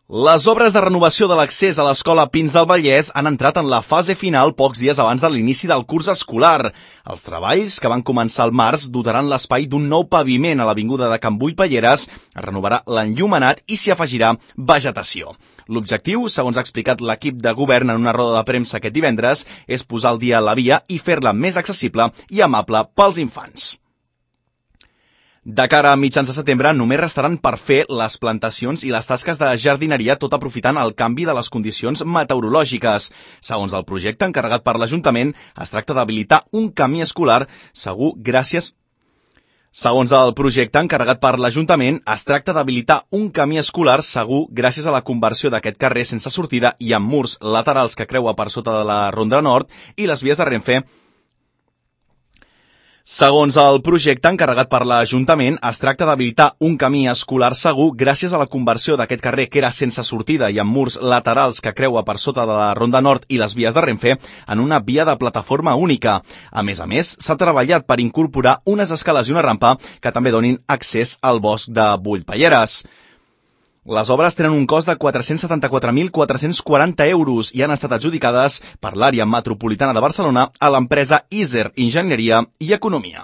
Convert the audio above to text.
Les obres de renovació de l'accés a l'Escola Pins del Vallès han entrat en la fase final pocs dies abans de l'inici del curs escolar. Els treballs, que van començar al març, dotaran l'espai d'un nou paviment a l'avinguda de Can Bull-Pelleres, es renovarà l'enllumenat i s'hi afegirà vegetació. L'objectiu, segons ha explicat l'equip de govern en una roda de premsa aquest divendres, és posar al dia la via i fer-la més accessible i amable pels infants. De cara a mitjans de setembre, només restaran per fer les plantacions i les tasques de jardineria, tot aprofitant el canvi de les condicions meteorològiques. Segons el projecte encarregat per l'Ajuntament, es tracta d'habilitar un camí escolar segur gràcies a la conversió d'aquest carrer sense sortida i amb murs laterals que creua per sota de la Ronda Nord i les vies de Renfe. Segons el projecte encarregat per l'Ajuntament, es tracta d'habilitar un camí escolar segur gràcies a la conversió d'aquest carrer que era sense sortida i amb murs laterals que creua per sota de la Ronda Nord i les vies de Renfe en una via de plataforma única. A més, s'ha treballat per incorporar unes escales i una rampa que també donin accés al bosc de Bull-Pelleres. Les obres tenen un cost de 474.440 euros i han estat adjudicades per l'àrea metropolitana de Barcelona a l'empresa Iser Enginyeria i Economia.